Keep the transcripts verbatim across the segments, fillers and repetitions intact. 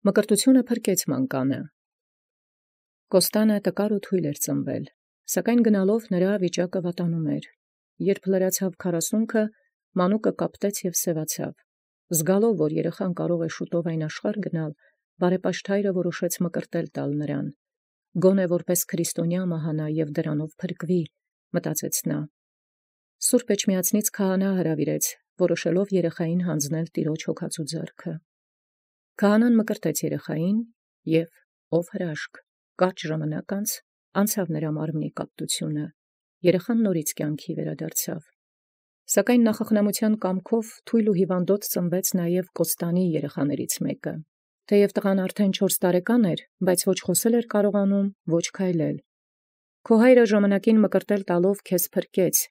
Մկրտութիւնը փրկեց մանկանը։ Կոստանը տկար և թույլ էր ծնվել, սակայն գնալով նրա վիճակը վատանում էր։ Երբ լրացավ քառասունքը, մանուկը կապտեց և սևացավ։ Զգալով, որ երեխան կարող է շուտով այն աշխարհ գնալ, բարեպաշտայրը որոշեց մկրտել տալ նրան։ Գոնե որպես քրիստոնյա մահանա և դրանով փրկվի, մտածեց նա։ Սուրբ Էջմիածնից քահանա հրավիրեց, որոշելով երեխային հանձնել Տիրոջ հոգածու ձեռքը։ Քահանան մկրտեց երեխային և, ով հրաշք, կարճ ժամանակ անց անցավ նրա մարմնի կապտությունը, երեխան նորից կյանքի վերադարձավ։ Սակայն նախախնամության կամքով թույլ ու հիվանդոտ ծնվեց նաև Կոստանի երեխաներից մեկը։ Թեև տղան արդեն չորս տարեկան էր, բայց ոչ խոսել էր կարողանում, ոչ քայլել։ Քո հայրը ժամանակին մկրտել տալով քեզ փրկեց,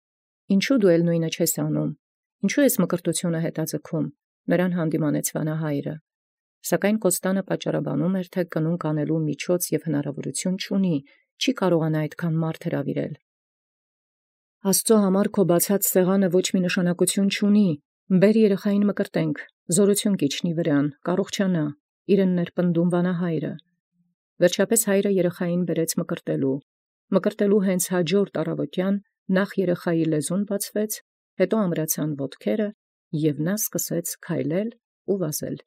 ինչու դու էլ նույնը չես անում, ինչու ես մկրտությունը հետաձգում, նրան հանդիմանեց վանահայրը։ Սակայն Կոստանը պատճառաբանում էր, թե կնունք անելու միջոց և հնարավորություն չունի, չի կարողանա այդքան մարդ հրավիրել։ Աստծո համար քո բացած սեղանը ոչ մի նշանակություն չունի, բեր երեխային մկրտենք, զորություն կիջնի վրան, կառողջանա, իրեն ներպնդում վանահայրը։ Վերջապես հայրը երեխային բերեց մկրտելու։ Մկրտելու հենց հաջորդ առավոտյան նախ երեխայի լեզուն բացվեց, հետո ամրացան ոտքերը, և նա սկսեց քայլել ու վազել։